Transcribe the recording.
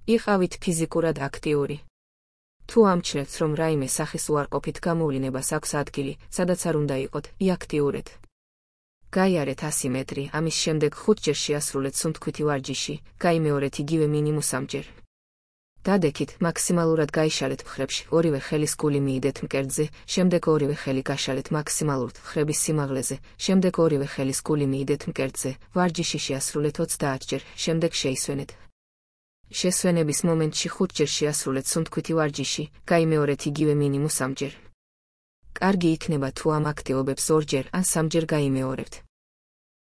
იყავით ფიზიკურად აქტიური. თუ ამჩნევთ, რომ რაიმე სახის უარყოფით გამოვლინებას აქვს ადგილი, სადაც არ უნდა იყოთ, იაქტიურეთ. გაიარეთ 100 მეტრი, ამის შემდეგ 5 ჯერ შეასრულეთ სუნთქვითი ვარჯიში, გაიმეორეთ იგივე მინიმუმ 3 ჯერ. დადექით, მაქსიმალურად გაიშალეთ მხრებში, ორივე ხელის გული მიიდეთ მკერდზე, შემდეგ ორივე ხელი გაშალეთ მაქსიმალურად მხრების სიმაღლეზე, შემდეგ ორივე ხელის გული მიიდეთ მკერდზე, ვარჯიში შეასრულეთ 30 ჯერ, შემდეგ შეისვენეთ. შესვენების მომენტში 5 ჯერ შეასრულეთ სუნთქვითი ვარჯიში, გაიმეორეთ იგივე მინიმუმ 3 ჯერ. კარგი იქნება თუ ამ აქტივობებს 2 ჯერ ან 3 ჯერ გაიმეორებთ.